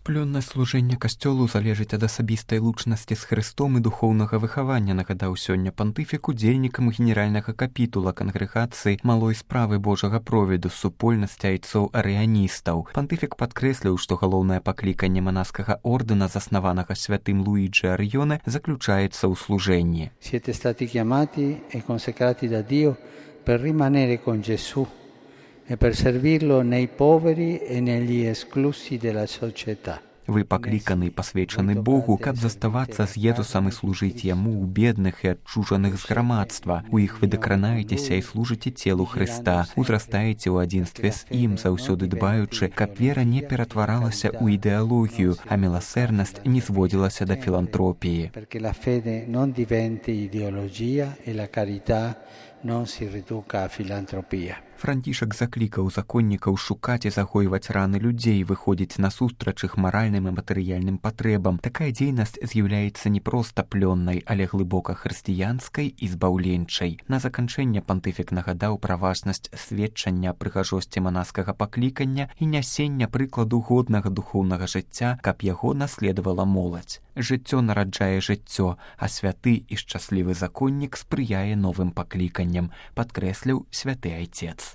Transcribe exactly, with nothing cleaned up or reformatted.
Плённасць служэння касцёлу залежыць ад асабістай лучнасці з Хрыстом і духоўнага выхавання, нагадаў сёння пантыфік удзельнікам генеральнага капітула кангрэгацыі малой справы Божага провіду з супольнасці айцоў арыяністаў. Пантыфік падкрэсліў, што галоўнае пакліканне манаскага ордэна, заснаванага святым Луіджі Арыёне, заключаецца ў служэнні. Siete stati chiamati e consecrati da Dio per rimanere con Gesù e per servirlo nei poveri e negli esclusi della società. Вы пакліканы і пасвечаны Богу, каб заставацца з Езусам і служыць Яму ў бедных і адчужаных з грамадства. У іх вы дакранаецеся і служыце целу Хрыста, узрастаеце ў адзінстве з ім, заўсёды дбаючы, каб вера не ператваралася ў ідэалогію, а міласэрнасць не зводзілася да філантропіі. Perché la fede non diventi ideologia e la carità non si riduca a filantropia. Францішак заклікаў законнікаў шукаць і загойваць раны людзей, выходзіць насустрач іх маральным і матэрыяльным патрэбам. Такая дзейнасць з'яўляецца не проста плённай, але глыбока хрысціянскай і збаўленчай. На заканчэнне пантыфік нагадаў пра важнасць сведчання прыгажосці манаскага паклікання і нясення прыкладу годнага духоўнага жыцця, каб яго наследавала моладзь. Жыццё нараджае жыццё, а святы і шчаслівы законнік спрыяе новым пакліканням, падкрэсліў святы айцец.